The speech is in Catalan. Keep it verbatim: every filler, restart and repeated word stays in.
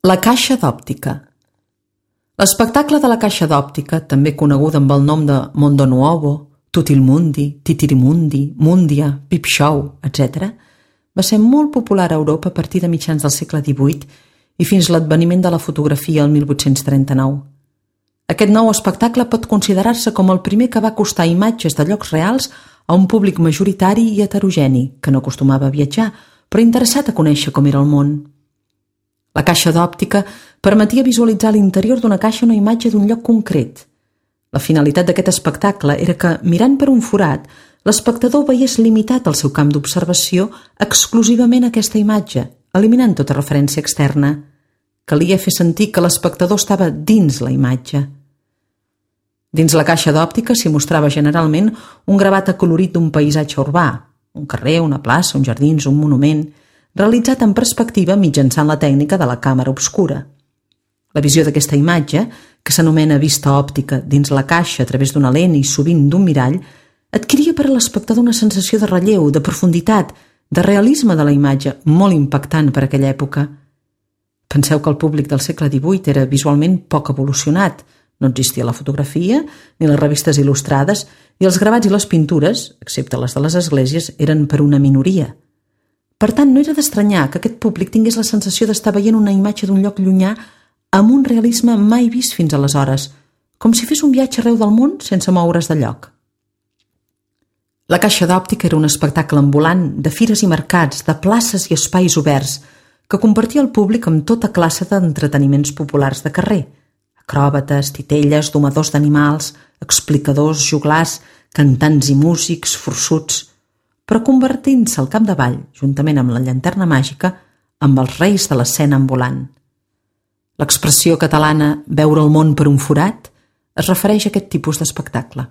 La caixa d'òptica. L'espectacle de la caixa d'òptica, també conegut amb el nom de Mondo Nuovo, Tutti-il-Mundi, Titirimundi, Mundia, Peep Show, etcètera, va ser molt popular a Europa a partir de mitjans del segle divuit i fins l'adveniment de la fotografia el mil vuit-cents trenta-nou. Aquest nou espectacle pot considerar-se com el primer que va acostar imatges de llocs reals a un públic majoritari i heterogeni, que no acostumava a viatjar, però interessat a conèixer com era el món. La caixa d'òptica permetia visualitzar a l'interior d'una caixa una imatge d'un lloc concret. La finalitat d'aquest espectacle era que, mirant per un forat, l'espectador veiés limitat el seu camp d'observació exclusivament a aquesta imatge, eliminant tota referència externa. Calia fer sentir que l'espectador estava dins la imatge. Dins la caixa d'òptica s'hi mostrava generalment un gravat acolorit d'un paisatge urbà, un carrer, una plaça, uns jardins, un monument, realitzat en perspectiva mitjançant la tècnica de la càmera obscura. La visió d'aquesta imatge, que s'anomena vista òptica dins la caixa a través d'una lent i sovint d'un mirall, adquiria per a l'espectador una sensació de relleu, de profunditat, de realisme de la imatge, molt impactant per aquella època. Penseu que el públic del segle divuit era visualment poc evolucionat. No existia la fotografia, ni les revistes il·lustrades, i els gravats i les pintures, excepte les de les esglésies, eren per una minoria. Per tant, no era d'estranyar que aquest públic tingués la sensació d'estar veient una imatge d'un lloc llunyà amb un realisme mai vist fins aleshores, com si fes un viatge arreu del món sense moure's de lloc. La caixa d'òptica era un espectacle ambulant de fires i mercats, de places i espais oberts, que compartia el públic amb tota classe d'entreteniments populars de carrer: acròbates, titelles, domadors d'animals, explicadors, joglars, cantants i músics, forçuts, però convertint-se al capdavall, juntament amb la llanterna màgica, amb els reis de l'escena ambulant. L'expressió catalana «veure el món per un forat» es refereix a aquest tipus d'espectacle.